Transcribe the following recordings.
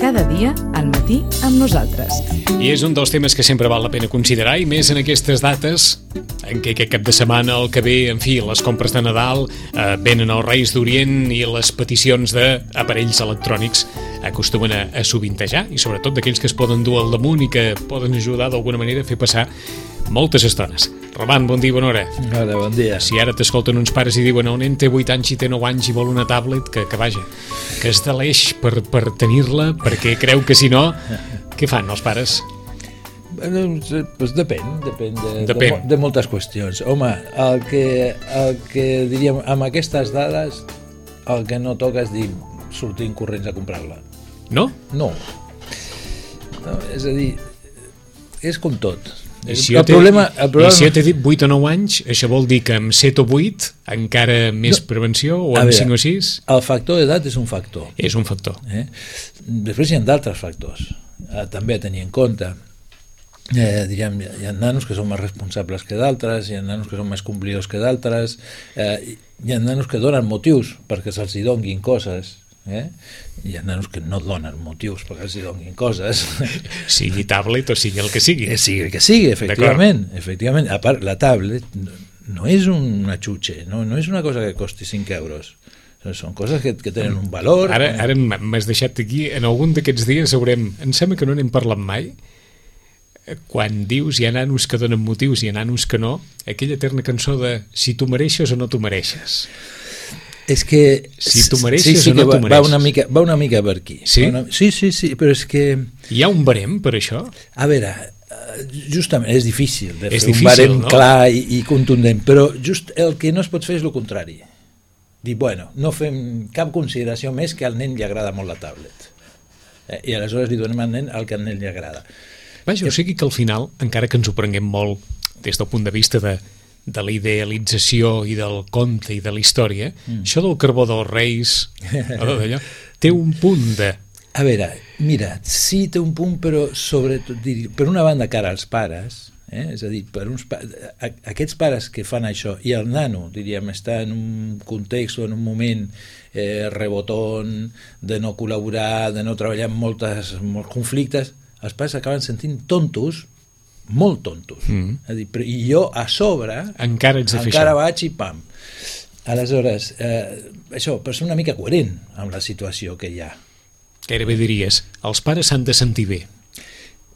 Cada dia al matí amb nosaltres. I és un dels temes que sempre val la pena considerar, i més en aquestes dates en què aquest cap de setmana, el que ve, en fi, les compres de Nadal, venen els Reis d'Orient i les peticions d'aparells electrònics acostumen a sovintejar, i sobretot d'aquells que es poden dur al damunt i que poden ajudar d'alguna manera a fer passar moltes estones. Roman, bon dia, bona hora. Hola, bon dia. Si ara t'escolten uns pares i diuen un nen té 8 anys i té 9 anys i vol una tablet, que vaja, que es deleix per tenir-la, perquè creu que si no, què fan els pares? Pues depèn de moltes qüestions. Home, el que diríem, amb aquestes dades, el que no toca és dir sortint corrents a comprar-la. No? No. És a dir, és com tot. I si jo t'he dit 8 o 9 anys, això vol dir que amb 7 o 8 encara més prevenció, o amb 5 o 6? El factor d'edat és un factor. És un factor. Després hi ha d'altres factors també a tenir en compte. Diríem, hi ha nanos que són més responsables que d'altres, hi ha nanos que són més complidors que d'altres, hi ha nanos que donen motius perquè se'ls hi donguin coses, hi ha nanos que no donen motius perquè els hi donguin coses, sigui tablet o sigui el que sigui, sigui el que sigui, efectivament. A part, la tablet no és una xutxe, no és una cosa que costi 5 euros, són coses que tenen un valor. Ara m'has deixat aquí, en algun d'aquests dies em sembla que no n'hem parlat mai, quan dius hi ha nanos que donen motius i hi ha nanos que no, aquella eterna cançó de si tu mereixes o no tu mereixes. És que si tu mereixes o no tu mereixes, va una mica per aquí. Sí? Sí, però és que hi ha un barem per això? A veure, justament és difícil de fer un barem, no? Clar i contundent, però just el que no es pot fer és el contrari, dir, bueno, no fem cap consideració més que al nen li agrada molt la tablet, i aleshores li donem al nen el que al nen li agrada. Vaja, o sigui que al final, encara que ens ho prenguem molt des del punt de vista de la idealització i del conte i de la història, això del carbó dels Reis, d'allò, té un punt de... A veure, mira, sí té un punt, però sobretot, per una banda, cara als pares, és a dir, aquests pares que fan això, i el nano, diríem, està en un context o en un moment rebotón, de no col·laborar, de no treballar en molts conflictes, els pares acaben sentint tontos, molt tontos. I jo a sobre encara vaig i pam. Aleshores, això, per ser una mica coherent amb la situació que hi ha. Gairebé diries, els pares s'han de sentir bé.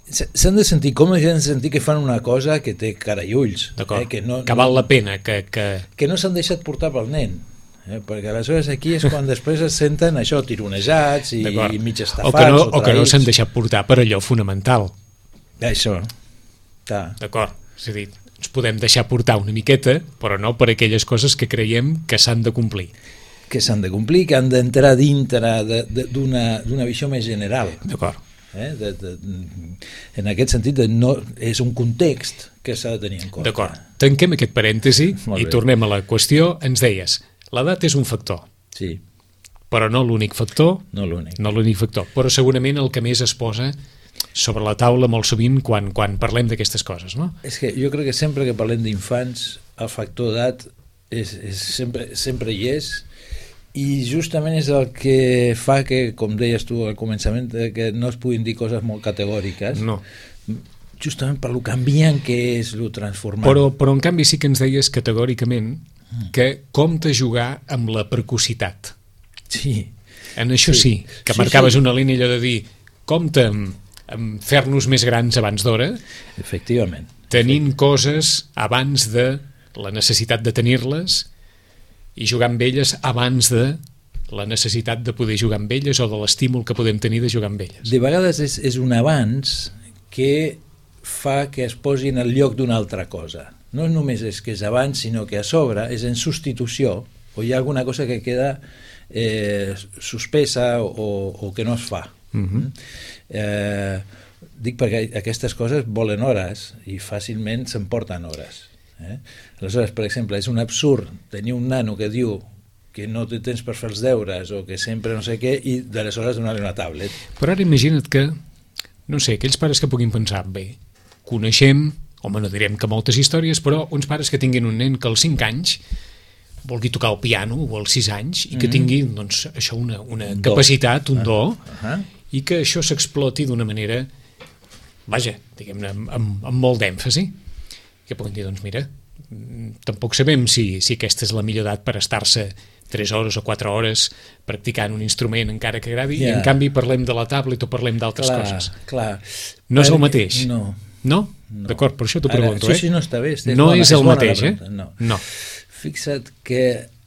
S'han de sentir còmodes i han de sentir que fan una cosa que té cara i ulls. D'acord, que val la pena. Que no s'han deixat portar pel nen. Perquè aleshores aquí és quan després es senten això, tironejats i mig estafats o que no s'han deixat portar per allò fonamental. Això. D'acord, és a dir, ens podem deixar portar una miqueta, però no per aquelles coses que creiem que s'han de complir. Que s'han de complir, que han d'entrar dintre d'una visió més general. D'acord. En aquest sentit, és un context que s'ha de tenir en compte. D'acord, tanquem aquest parèntesi i tornem a la qüestió. Ens deies, l'edat és un factor. Sí. Però no l'únic factor. No l'únic. No l'únic factor, però segurament el que més es posa sobre la taula molt sovint quan parlem d'aquestes coses, no? És que jo crec que sempre que parlem d'infants el factor d'edat sempre hi és, i justament és el que fa que, com deies tu al començament, que no es puguin dir coses molt categòriques. No. Justament per lo canviant que és, lo transformant. Però en canvi sí que ens deies categòricament que compta jugar amb la precocitat. Sí. En això sí, que marcaves una línia allò de dir compta amb fer-nos més grans abans d'hora. Efectivament. Tenint coses abans de la necessitat de tenir-les i jugar amb elles abans de la necessitat de poder jugar amb elles o de l'estímul que podem tenir de jugar amb elles. De vegades és un abans que fa que es posi en el lloc d'una altra cosa. No només és que és abans, sinó que a sobre és en substitució, o hi ha alguna cosa que queda suspesa o que no es fa. Dic perquè aquestes coses volen hores i fàcilment s'emporten hores. Aleshores, per exemple, és un absurd tenir un nano que diu que no té temps per fer els deures o que sempre no sé què i d'aleshores donar-li una tablet. Però ara imagina't que, no sé, aquells pares que puguin pensar, bé, coneixem, home, no direm que moltes històries, però uns pares que tinguin un nen que als 5 anys vulgui tocar el piano o als 6 anys i que tingui, doncs, això, una capacitat, un do, i que això s'exploti d'una manera, vaja, diguem-ne, amb molt d'èmfasi, que puguin dir, doncs mira, tampoc sabem si aquesta és la millor edat per estar-se 3 hores o 4 hores practicant un instrument encara que agradi, i en canvi parlem de la tablet o parlem d'altres coses. Clar. No és el mateix? No. No? D'acord, per això t'ho pregunto. Això sí no està bé. No és el mateix, No. Fixa't que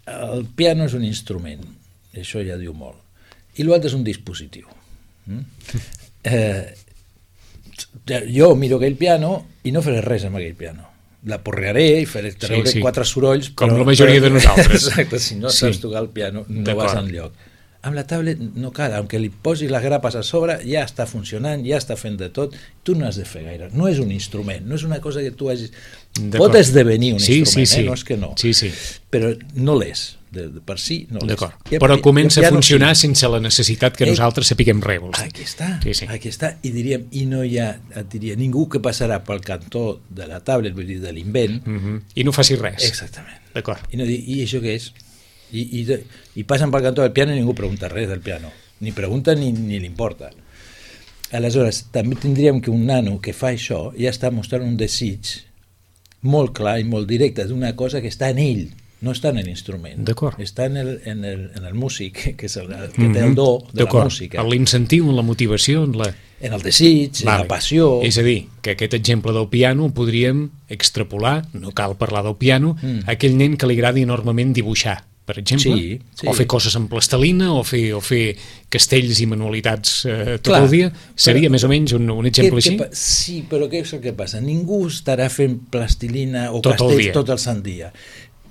el piano és un instrument, això ja diu molt, i l'altre és un dispositiu. Jo miro aquell piano i no faré res amb aquell piano. La porrearé i faré treure 4 sorolls, com la majoria de nosaltres. Exacte, si no saps tocar el piano no vas enlloc. Amb la tablet no cal, aunque li posis les grapes a sobre ja està funcionant, ja està fent de tot, tu no has de fer gaire, no és un instrument, no és una cosa que tu hagis... Pot esdevenir un instrument, no és que no, però no l'és, per si no l'és. Però comença a funcionar sense la necessitat que nosaltres sapiguem res. Aquí està, i diríem, i no hi ha, et diria, ningú que passarà pel cantó de la tablet, vull dir, de l'invent, i no faci res. Exactament. D'acord. I no dir, i això què és? I passen pel cantó del piano i ningú pregunta res del piano, ni pregunta ni li importa. Aleshores, també tindríem que un nano que fa això ja està mostrant un desig molt clar i molt directe d'una cosa que està en ell, no està en l'instrument, està en el músic, que és el que té el do de la música, en l'incentiu, en la motivació, en el desig, en la passió. És a dir, que aquest exemple del piano podríem extrapolar, no cal parlar del piano, a aquell nen que li agradi enormement dibuixar, per exemple, o fer coses amb plastelina, o fer castells i manualitats tot el dia, seria més o menys un exemple així? Sí, però què és el que passa? Ningú estarà fent plastilina o castells tot el sant dia.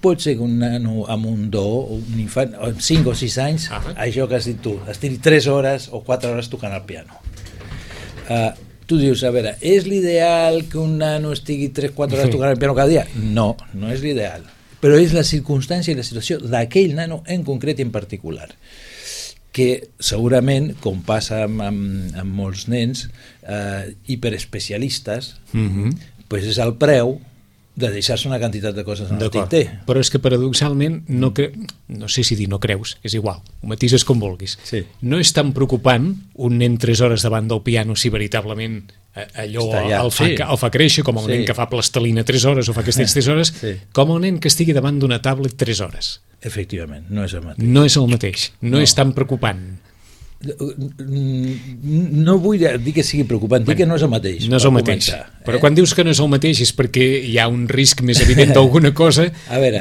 Pot ser que un nano amb un do, un infant, amb 5 o 6 anys, això que has dit tu, estigui 3 hores o 4 hores tocant el piano. Tu dius, a veure, és l'ideal que un nano estigui 3-4 hores tocant el piano cada dia? No, no és l'ideal. Però és la circumstància i la situació d'aquell nano en concret i en particular, que segurament, com passa amb molts nens hiperespecialistes, pues és el preu de deixar-se una quantitat de coses en el tinter. Però és que paradoxalment, no sé si dir no creus, és igual, ho matises com vulguis. No és tan preocupant un nen 3 hores davant del piano si veritablement allò el fa créixer, com el nen que fa plastelina 3 hores o fa castells 3 hores, com el nen que estigui davant d'una tablet 3 hores. Efectivament, no és el mateix. No és el mateix, no és tan preocupant. No vull dir que sigui preocupant, dir que no és el mateix. No és el mateix, però quan dius que no és el mateix és perquè hi ha un risc més evident d'alguna cosa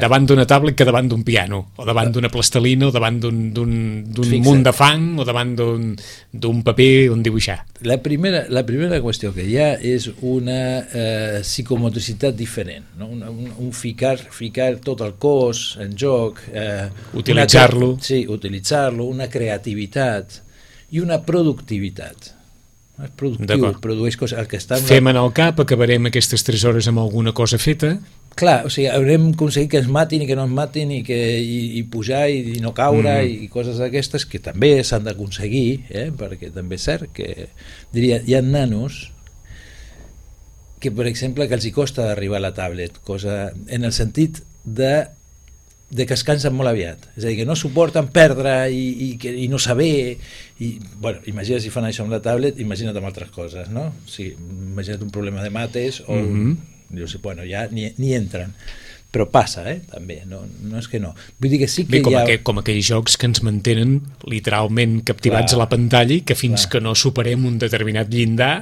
davant d'una tablet que davant d'un piano, o davant d'una plastelina, o davant d'un munt de fang, o davant d'un paper on dibuixar. La primera qüestió que hi ha és una psicomotricitat diferent, no? Un ficar tot el cos en joc, utilitzar-lo, una creativitat i una productivitat. És productiu, produeix coses. Fem en el cap, acabarem aquestes 3 hores amb alguna cosa feta. Clar, o sigui, haurem aconseguit que ens matin i que no ens matin i pujar i no caure i coses d'aquestes que també s'han d'aconseguir, perquè també és cert que, diria, hi ha nanos que, per exemple, que els hi costa d'arribar a la tablet, cosa en el sentit de que es cansen molt aviat, és a dir, que no suporten perdre i no saber, bueno, imagina't si fan això amb la tablet, imagina't amb altres coses, no? Imagina't un problema de mates o dius, bueno, ja ni entren, però passa, també, no és que no. Vull dir que sí que com aquells jocs que ens mantenen literalment captivats a la pantalla i que fins que no superem un determinat llindar,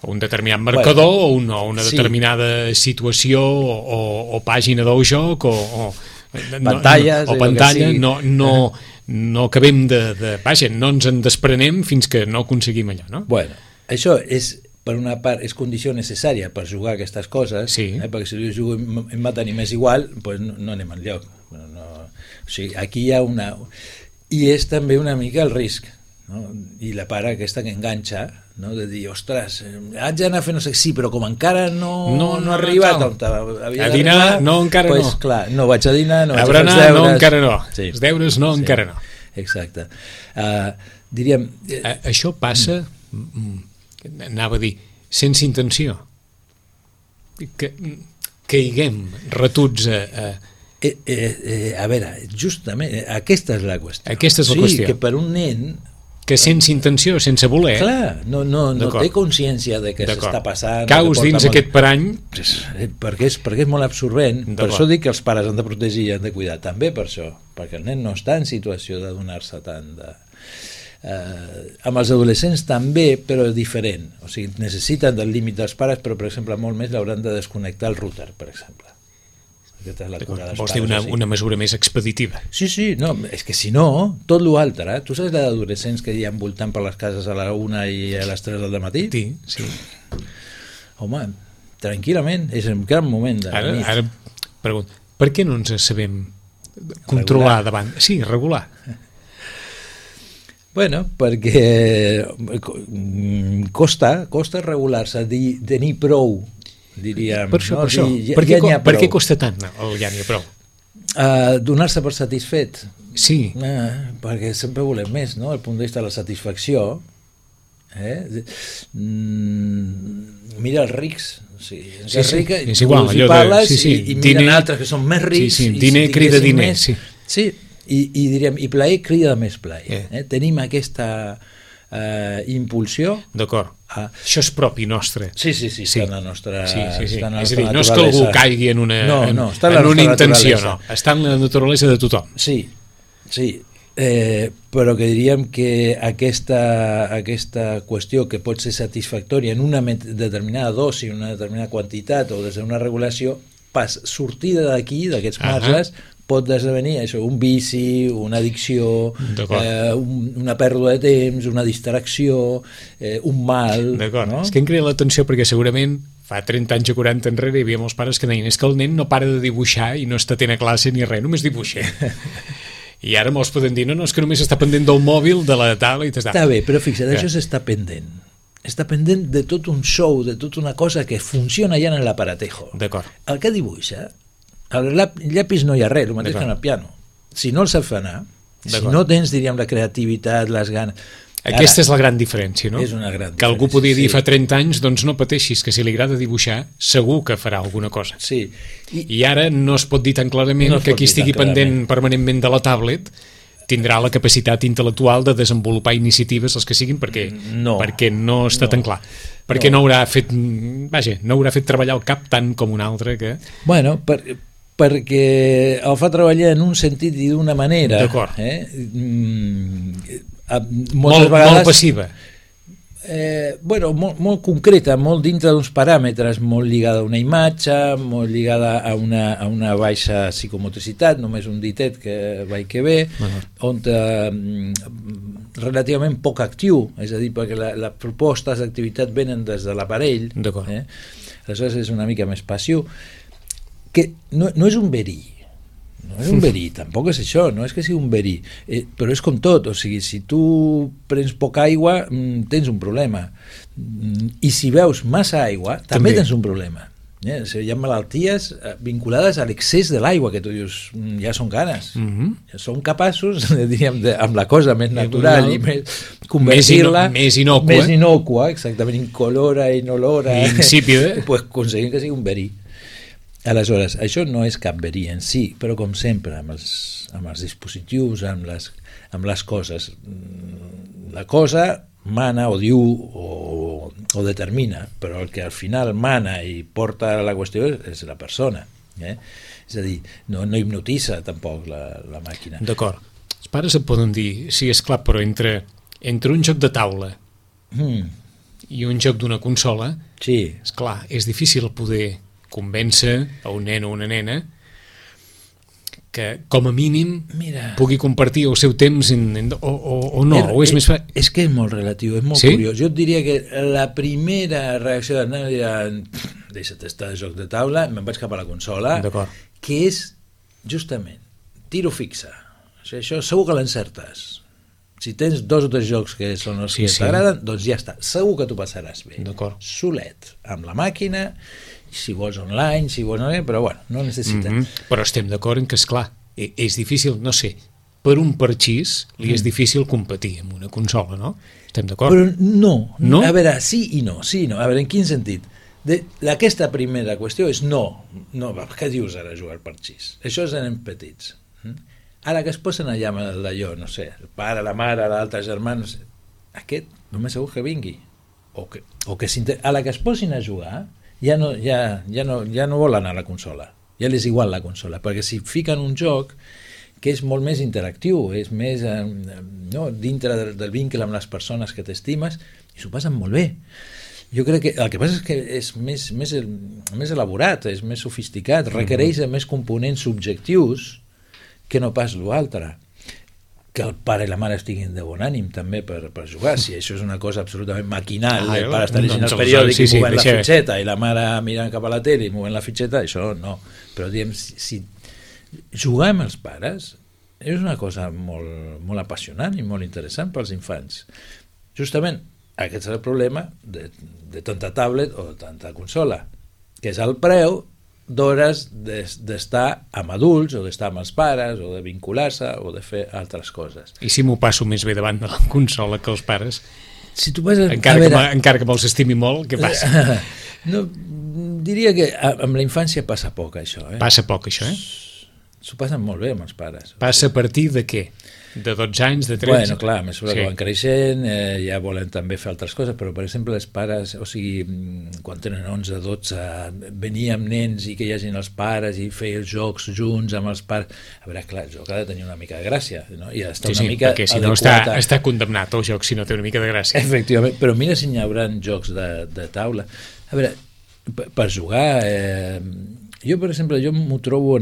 un determinat marcador o una determinada situació o pàgina del joc o pantalla, no acabem vaja, no ens en desprenem fins que no aconseguim allò, no? Bueno, això és, per una part, és condició necessària per jugar a aquestes coses, perquè si jo jugo em maten i m'és igual, doncs no anem enlloc. O sigui, aquí hi ha una... I és també una mica el risc, no? I la part aquesta que enganxa, no? De dir, ostres, haig d'anar a fer no sé, sí, però com encara no ha arribat on havia a dinar, no, encara pues, no. Clar, no vaig a dinar, no vaig a fer els deures. deures. No, encara no. Sí. Els deures no, Sí. encara no. Exacte. Diríem... Això passa, anava a dir, sense intenció. Que caiguem retuts a veure, justament, aquesta és la qüestió. Aquesta és la qüestió. Sí, que per un nen... Que sense intenció, sense voler... Clar, no té consciència de què s'està passant. Caus dins aquest parany... Perquè és molt absorbent. Per això dic que els pares han de protegir i han de cuidar. També per això, perquè el nen no està en situació de donar-se tant de... amb els adolescents també, però diferent. O sigui, necessiten del límit dels pares, però, per exemple, molt més l'hauran de desconnectar el router, per exemple. Aquesta és la cura dels Vols pares, dir una mesura més expeditiva? Sí, no, és que si no, tot l'altre, tu saps d'adolescents que hi ha voltant per les cases a la 1 i a les 3 del matí? Sí. Home, tranquil·lament, és un gran moment de la nit. Ara pregunto, per què no ens sabem controlar davant? Sí, regular. Bueno, perquè costa regular-se, tenir prou, diríem. Per això, no? per això. Ja Per què costa tant el ja n'hi ha prou? Donar-se per satisfet. Sí. Perquè sempre volem més, no? El punt de vista de la satisfacció. Mira els rics, és igual, i parles i miren altres que són més rics. Diner crida diner. Sí, i diríem, i plaer crida més plaer. Tenim aquesta impulsió. D'acord. Això és propi nostre. Sí, està en la nostra naturalesa. És a dir, no és que algú caigui en una intenció, no. Està en la naturalesa de tothom. Sí, però que diríem que aquesta qüestió que pot ser satisfactòria en una determinada dosi, una determinada quantitat o des d'una regulació, sortida d'aquí, d'aquests marges, pot esdevenir això, un vici, una addicció, una pèrdua de temps, una distracció, un mal. D'acord, no? És que em crida l'atenció perquè segurament fa 30 anys o 40 enrere hi havia molts pares que deien és que el nen no para de dibuixar i no està atent a classe ni res, només dibuixa. I ara molts poden dir, no, és que només està pendent del mòbil, de la taula i t'està. Està bé, però fixa't, això s'està pendent. Està pendent de tot un show, de tota una cosa que funciona ja en l'aparatejo. D'acord. El que dibuixa, al llapis no hi ha res, el mateix que en el piano. Si no el saps anar, si no tens, diríem, la creativitat, les ganes... Aquesta és la gran diferència, no? És una gran diferència. Que algú podia dir fa 30 anys, doncs no pateixis, que si li agrada dibuixar, segur que farà alguna cosa. Sí. I ara no es pot dir tan clarament que qui estigui pendent permanentment de la tablet tindrà la capacitat intel·lectual de desenvolupar iniciatives, els que siguin, perquè no està tan clar. Perquè no haurà fet treballar el cap tant com un altre que... Bueno, perquè el fa treballar en un sentit i d'una manera. D'acord. Moltes vegades, molt passiva. Molt concreta, molt dintre d'uns paràmetres, molt lligada a una imatge, molt lligada a una baixa psicomotricitat, només un ditet que va i que ve, on relativament poc actiu, és a dir, perquè les propostes d'activitat venen des de l'aparell, aleshores és una mica més passiu, que no és un verí. No és un verí, tampoc és això, no és que sigui un verí, però és com tot, o sigui, si tu prens poca aigua, tens un problema, i si beus massa aigua, també tens un problema. Hi ha malalties vinculades a l'excés de l'aigua, que tu dius, ja són ganes, ja són capaços, diríem, amb la cosa més natural i més convertir-la més innòcua, exactament, incolora, inolora, insípida, pues aconseguim que sigui un verí. Aleshores, això no és cap verí en si, però com sempre, amb els dispositius, amb les coses, la cosa mana o diu o determina, però el que al final mana i porta la qüestió és la persona. És a dir, no hipnotitza tampoc la màquina. D'acord. Els pares et poden dir, sí, és clar, però entre un joc de taula i un joc d'una consola, és clar, és difícil poder convèncer a un nen o una nena que com a mínim pugui compartir el seu temps o no, o és més... És que és molt relatiu, és molt curiós. Jo et diria que la primera reacció del nen era deixa't estar de joc de taula, me'n vaig cap a la consola, que és justament tiro fixa. Això segur que l'encertes. Si tens 2 o 3 jocs que són els que t'agraden, doncs ja està, segur que t'ho passaràs bé. Solet, amb la màquina, si vols online, si vols online, però bueno, no necessites. Però estem d'acord en que, esclar, és difícil, no sé, per un parxís li és difícil competir amb una consola, no? Estem d'acord? Però no, a veure, sí i no, a veure, en quin sentit? Aquesta primera qüestió és no, què dius ara jugar al parxís? Això és en petits. Ara que es posen allà amb d'allò, no sé, el pare, la mare, l'altre germà, no sé, aquest només segur que vingui. O que a la que es posin a jugar ja no vol anar a la consola, ja li és igual la consola, perquè si fiquen un joc que és molt més interactiu, és més dintre del vincle amb les persones que t'estimes, i s'ho passen molt bé. Jo crec que el que passa és que és més elaborat, és més sofisticat, requereix més components subjectius que no pas l'altre. Que el pare i la mare estiguin de bon ànim també per jugar, si això és una cosa absolutament maquinal, el pare està llegint el periòdic i movent la fitxeta i la mare mirant cap a la tele i movent la fitxeta, això no, però diguem, si jugar amb els pares és una cosa molt apassionant i molt interessant pels infants. Justament aquest és el problema de tanta tablet o de tanta consola, que és el preu d'hores d'estar amb adults o d'estar amb els pares o de vincular-se o de fer altres coses. I si m'ho passo més bé davant de la consola que els pares? Si tu vas encara que me'ls estimi molt, què passa? No, diria que amb la infància passa poc això. Passa poc això, S'ho passen molt bé amb els pares. Passa a partir de què? De 12 anys, de 13? Bueno, clar, a mesura que van creixent, ja volen també fer altres coses, però per exemple els pares, o sigui, quan tenen 11, 12, venir amb nens i que hi hagin els pares i fer els jocs junts amb els pares, a veure, clar, el joc ha de tenir una mica de gràcia, no? I ha d'estar una mica perquè si adequat no està condemnat el joc si no té una mica de gràcia. Efectivament, però mira si n'hi haurà jocs de taula. A veure, per jugar, jo per exemple, m'ho trobo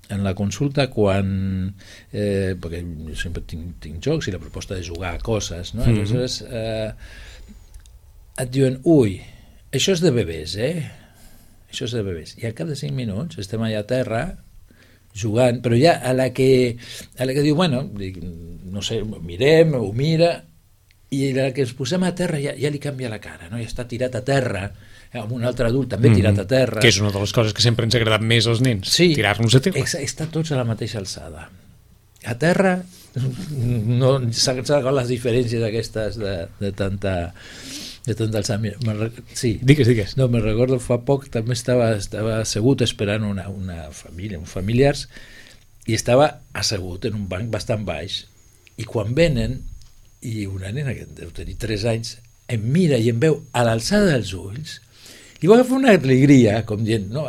en la consulta quan perquè jo sempre tinc jocs i la proposta de jugar a coses, no? Aleshores et diuen, ui, això és de bebès, això és de bebès, i al cap de 5 minuts estem allà a terra jugant, però ja a la que diu, bueno, no sé, mirem, ho mira, i a la que ens posem a terra ja li canvia la cara, no? Ja està tirat a terra, amb un altre adult també tirat a terra. Que és una de les coses que sempre ens ha agradat més als nens, tirar-nos a terra. Està tots a la mateixa alçada. A terra no s'han acabat les diferències aquestes de tanta alçada. Sí. Digues. No, me'n recordo fa poc també estava assegut esperant una família, uns familiars, i estava assegut en un banc bastant baix, i quan venen i una nena que deu tenir 3 anys em mira i em veu a l'alçada dels ulls i va agafar una alegria, com dient, no,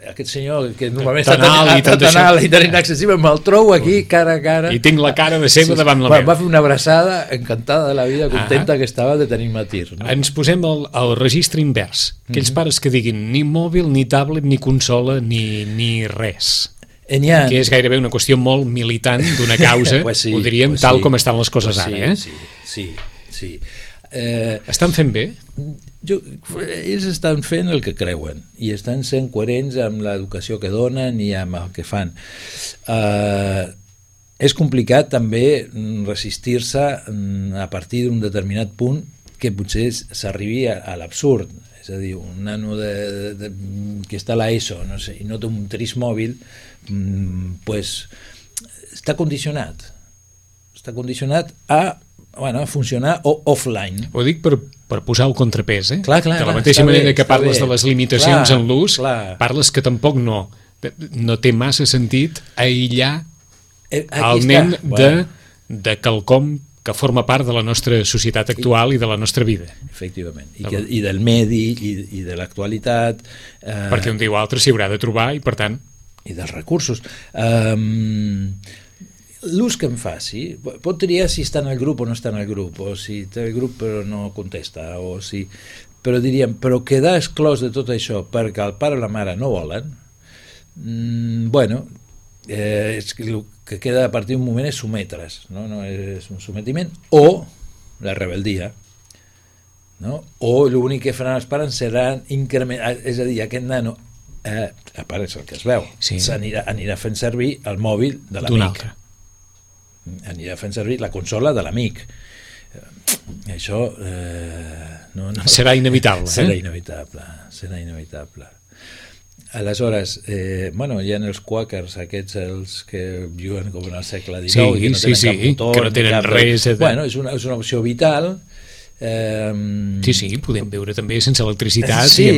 aquest senyor que normalment està tan alt i tan inaccessible, me'l trobo aquí cara a cara. I tinc la cara de seva davant la meva. Va fer una abraçada encantada de la vida, contenta que estava de tenir-me a tir. No? Ens posem al registre invers. Aquells pares que diguin ni mòbil, ni tablet, ni consola, ni res. Que és gairebé una qüestió molt militant d'una causa, ho diríem tal com estan les coses ara. Sí. Estan fent bé? Ells estan fent el que creuen i estan sent coherents amb l'educació que donen i amb el que fan. És complicat també resistir-se a partir d'un determinat punt que potser s'arribi a l'absurd. És a dir, un nano que està a l'ESO, no sé, i no té un tris mòbil, pues, està condicionat a funcionar offline. Ho dic per posar el contrapès, Clar, de la mateixa manera que parles de les limitacions en l'ús, parles que tampoc no té massa sentit aïllar el nen de quelcom que forma part de la nostra societat actual i de la nostra vida. Efectivament, i del medi i de l'actualitat. Perquè un dia o altre s'hi haurà de trobar i per tant... I dels recursos. L'ús que em faci, pot triar si està en el grup o no està en el grup, o si té el grup però no contesta, però diríem, però quedar exclòs de tot això perquè el pare o la mare no volen, és que el que queda a partir d'un moment és sometre's, no és un sometiment, o la rebeldia, no? O l'únic que faran els pares serà incrementar, és a dir, aquest nano, a part és el que es veu, anirà fent servir el mòbil de l'amic. anirà fent servir la consola de l'amic. Això no serà inevitable. Serà inevitable. Aleshores, hi ha els quàquers, aquests els que viuen com en el segle XIX, i que no tenen cap motor, que no tenen res. És una opció vital. Sí, podem viure també sense electricitat. Sí,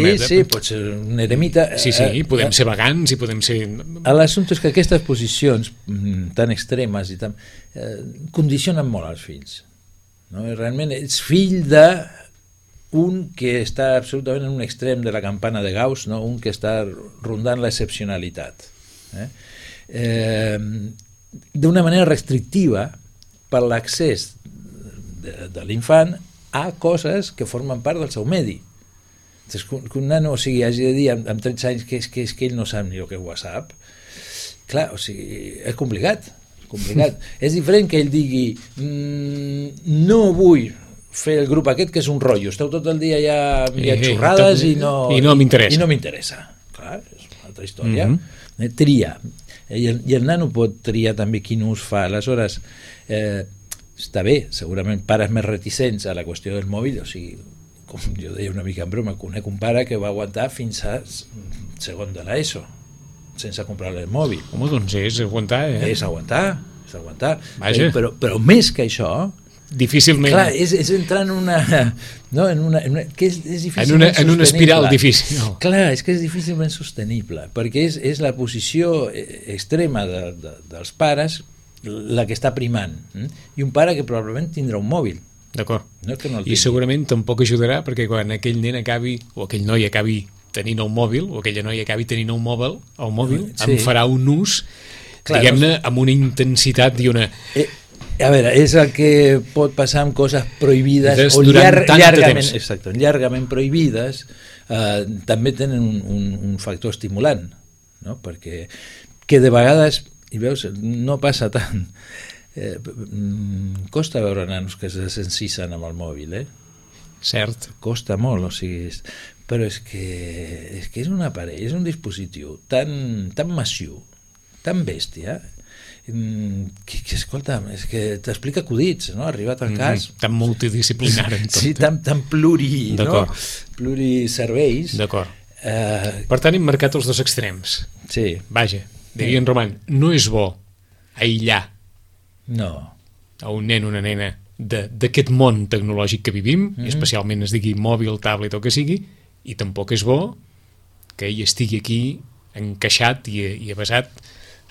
pot ser un eremita. Sí, podem ser vegans i podem ser... L'assumpte és que aquestes posicions tan extremes i tan condicionen molt als fills. No? Realment ets fill de un que està absolutament en un extrem de la campana de Gauss, no? Un que està rondant l'excepcionalitat. D'una manera restrictiva per l'accés de l'infant a coses que formen part del seu medi. Que un nano hagi de dir amb 13 anys que és que ell no sap ni el que és WhatsApp, clar, és complicat. És diferent que ell digui no vull fer el grup aquest que és un rotllo, esteu tot el dia ja xorrades i no m'interessa. Clar, és una altra història. Tria. I el nano pot triar també quin ús fa. Aleshores, està bé, segurament pares més reticents a la qüestió del mòbil, o sigui, com jo deia una mica en broma, conec un pare que va aguantar fins a segon de l'ESO sense comprar el mòbil. Home, doncs és aguantar, És aguantar. Però més que això, difícilment. Clar, és entrar en una... No, que és difícilment sostenible. En una espiral difícil. No. Clar, és que és difícilment sostenible, perquè és la posició extrema dels pares la que està primant. I un pare que probablement tindrà un mòbil. D'acord. No que no I segurament tampoc ajudarà perquè quan aquell nen acabi, o aquell noi acabi tenint un mòbil, o aquella noia acabi tenint un mòbil, en farà un ús, diguem-ne, amb una intensitat i una... A veure, és el que pot passar amb coses prohibides o llargament prohibides, també tenen un factor estimulant, no? Perquè que de vegades, i veus, no passa tant, costa veure nanos que s'encisen amb el mòbil, Cert. Costa molt, o sigui, però és que és un aparell, és un dispositiu tan massiu, tan bèstia, que escolta, és que t'explica acudits, no? Arribat al cas. Tan multidisciplinari en tot. Sí, tan pluriserveis. D'acord. Per tant, hem marcat els dos extrems. Sí. Vaja, diria en Roman, no és bo aïllar a un nen o una nena d'aquest món tecnològic que vivim, i especialment es digui mòbil, tablet o que sigui, i tampoc és bo que ell estigui aquí encaixat i avasat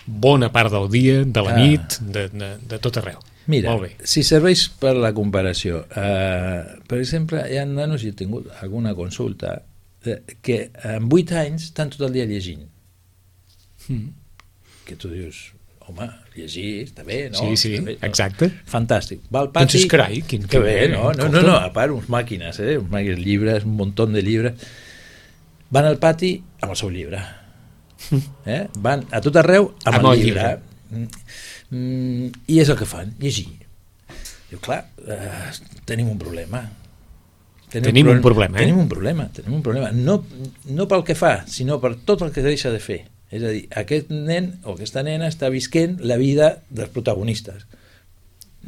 bona part del dia, de la nit, de tot arreu. Mira, si serveix per la comparació, per exemple, hi ha nanos, i he tingut alguna consulta, que amb 8 anys estan tot el dia llegint. Que tu dius, home, llegir està bé, no? Sí, exacte. Fantàstic. Va al pati... Doncs carai, quin que bé, no, a part, uns màquines, llibres, un muntó de llibres. Van al pati amb el seu llibre. Van a tot arreu amb el llibre. I és el que fan, llegir. Diu, clar, tenim un problema. Tenim un problema. No pel que fa, sinó per tot el que deixa de fer. És a dir, aquest nen o aquesta nena està visquent la vida dels protagonistes,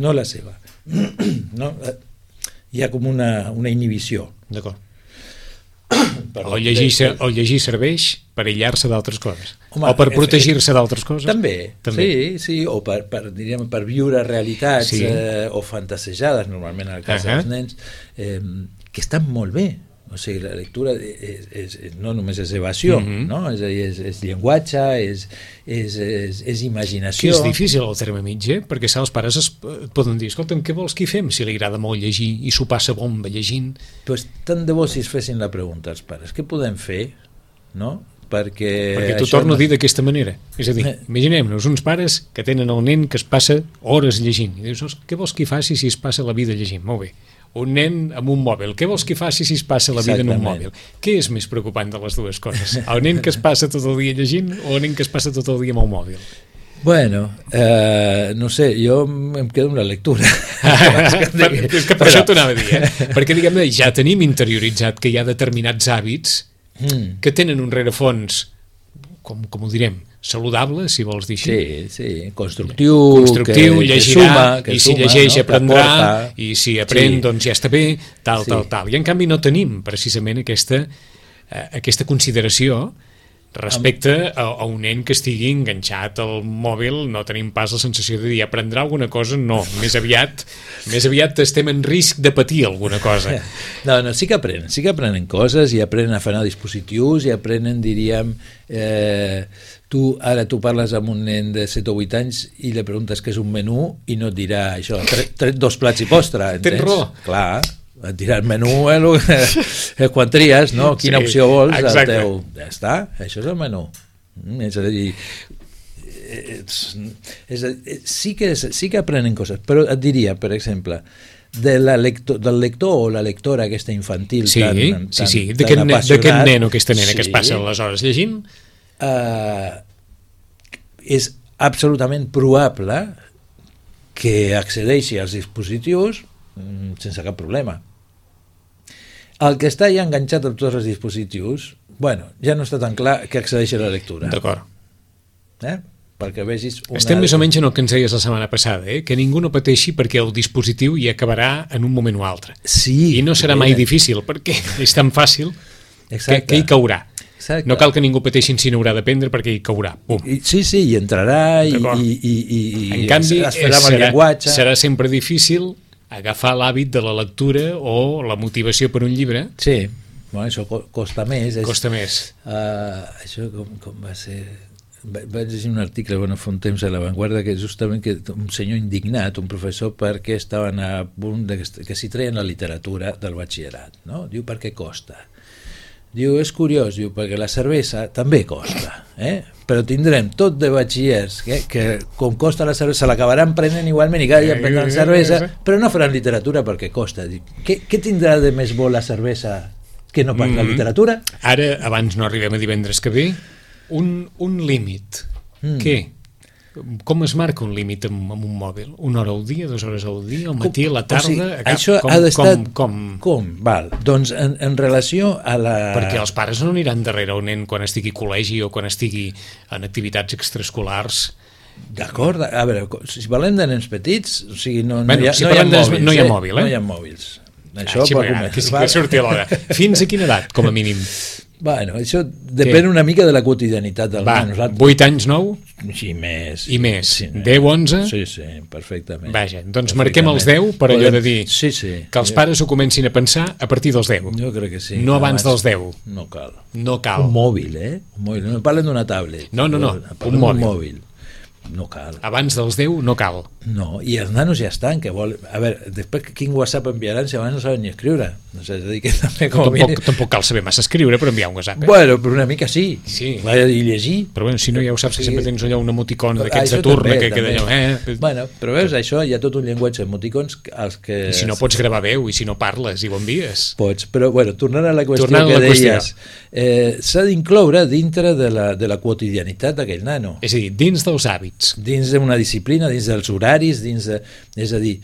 no la seva. Hi ha com una inhibició. D'acord. O llegir serveix per aïllar-se d'altres coses. Home, o per protegir-se d'altres coses. També. Sí, o per viure realitats o fantasiejades, normalment en el cas dels nens, que estan molt bé. O sigui, la lectura no només és evasió, no? És a dir, és llenguatge, és imaginació. Que és difícil el terme mitjà, perquè els pares et poden dir, escolta'm, què vols que hi fem si li agrada molt llegir i s'ho passa bomba llegint? Pues tant de bo si es fessin la pregunta als pares, què podem fer, no? Perquè t'ho torno a dir d'aquesta manera. És a dir, imaginem-nos uns pares que tenen el nen que es passa hores llegint i dius, què vols que hi faci si es passa la vida llegint? Molt bé. Un nen amb un mòbil, què vols que faci si es passa la vida en un mòbil? Què és més preocupant de les dues coses? El nen que es passa tot el dia llegint o el nen que es passa tot el dia amb el mòbil? Bueno, no sé, jo em quedo amb la lectura. És que per això t'ho anava a dir, perquè diguem-ne, ja tenim interioritzat que hi ha determinats hàbits que tenen un rerefons, com ho direm, saludable, si vols dir així. Sí, constructiu, Constructiu, llegirà, que i si suma, llegeix no? aprendrà, Aporta. i si aprèn, Sí. doncs ja està bé, tal. I en canvi no tenim precisament aquesta consideració respecte a un nen que estigui enganxat al mòbil. No tenim pas la sensació de dir aprendrà alguna cosa, no, més aviat estem en risc de patir alguna cosa. No, sí que aprenen coses i aprenen a fer dispositius i aprenen, diríem, tu parles amb un nen de 7 o 8 anys i li preguntes què és un menú i no et dirà això, tret 2 plats i postre, entens? Tens raó. Clar, et dirà el menú quan tries, no? Quina opció vols, el teu. Ja està, això és el menú. És a dir, sí que aprenen coses, però et diria, per exemple, del lector o la lectora aquesta infantil tan d'aquest nen o aquesta nena que es passa les hores llegint, és absolutament probable que accedeixi als dispositius sense cap problema. El que està ja enganxat a tots els dispositius, bueno, ja no està tan clar que accedeixi a la lectura. D'acord. Perquè vegis estem més o menys en el que ens deies la setmana passada, que ningú no pateixi perquè el dispositiu hi acabarà en un moment o altre. Sí, i no serà mai difícil, perquè és tan fàcil que hi caurà. Exacte. No cal que ningú pateixi si n'haurà d'aprendre perquè hi caurà. Sí, hi entrarà i en canvi serà sempre difícil agafar l'hàbit de la lectura o la motivació per un llibre. Sí, bueno, això costa més. Costa més. Això com va ser... Vaig llegir un article fa un temps a La Vanguardia que justament un senyor indignat, un professor, perquè estaven a punt que s'hi treien la literatura del batxillerat, no? Diu, per què costa? Diu, és curiós, diu, perquè la cervesa també costa, però tindrem tot de batxillers que com costa la cervesa l'acabaran prenent igualment i cada dia prendran cervesa, però no faran literatura perquè costa. Diu, què tindrà de més bo la cervesa que no pas la literatura? Ara, abans no arribem a divendres que ve, un límit. Què? Com es marca un límit amb un mòbil? 1 hora al dia, 2 hores al dia, al matí, a la tarda? O sigui, això ha d'estar... Com? Val. Doncs en relació a la... Perquè els pares no aniran darrere un nen quan estigui a col·legi o quan estigui en activitats extraescolars. D'acord, a veure, si parlem de nens petits, o sigui, no hi ha mòbils. No hi ha mòbils. Això per començar. Que sí que surti a l'hora. Fins a quina edat, com a mínim? Bueno, això depèn una mica de la quotidianitat del nen. 8 anys, 9? Sí, més. I més? 10, 11? Sí, perfectament. Vaja, doncs marquem els 10 per allò de dir que els pares ho comencin a pensar a partir dels 10. Jo crec que sí. No abans dels 10. No cal. No cal. Un mòbil, Un mòbil. No parlen d'una tablet. No. Un mòbil. No cal. Abans dels 10 no cal. No, i els nanos ja estan, que vol... A veure, després quin WhatsApp enviaran si abans no saben ni escriure? No sé, és a dir, que també tampoc cal saber massa escriure per enviar un WhatsApp. Bueno, però una mica sí. I llegir. Però bueno, si no ja ho saps, que sempre tens allò un emoticon d'aquests de turno que queda allò... Bueno, però veus, això hi ha tot un llenguatge emoticons als que... I si no pots gravar veu, i si no parles i ho envies. Pots, però bueno, tornant a la qüestió que deies, s'ha d'incloure dintre de la quotidianitat d'aquell nano. És a dir, dins dels hàbits. Dins d'una disciplina, dins dels horaris, és a dir,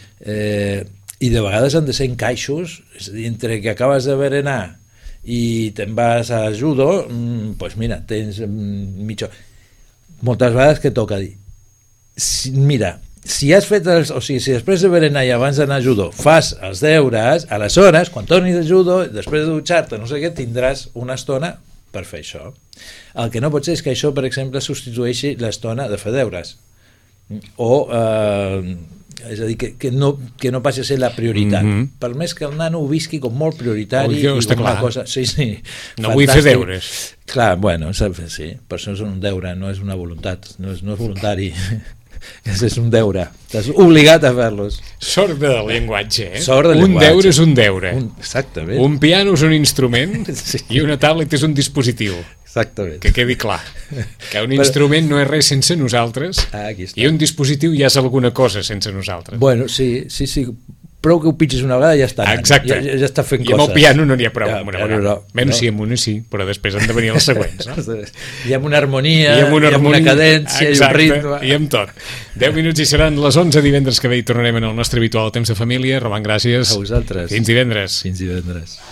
i de vegades han de ser encaixos, és a dir, entre que acabes de berenar i te'n vas a judo, doncs mira, tens mitja... Moltes vegades que toca dir, mira, si has fet si després de berenar i abans d'anar a judo fas els deures, aleshores, quan tornis de judo, després de dutxar-te, no sé què, tindràs una estona per fer això. El que no pot ser és que això, per exemple, substitueixi l'estona de fer deures. O, és a dir, que no passi a ser la prioritat. Per més que el nano ho visqui com molt prioritari i com una cosa... Sí, no vull fer deures. Clar, bueno, sí, per això és un deure, no és una voluntat, no és voluntari. És un deure, estàs obligat a fer-los. Sort del llenguatge, Un deure és un deure. Exactament. Un piano és un instrument i una tablet és un dispositiu. Exactament. Que quedi clar que un instrument no és res sense nosaltres i un dispositiu ja és alguna cosa sense nosaltres. Bueno, sí, prou que ho pitges una vegada i ja està anant. Exacte. Ja està fent coses. I amb el piano no n'hi ha prou. Sí, amb una sí, però després han de venir els següents. I amb una harmonia, i amb una cadència, i un ritme. I amb tot. 10 minuts i seran les 11 divendres que ve i tornarem en el nostre habitual temps de família. Roman, gràcies. A vosaltres. Fins divendres. Fins divendres.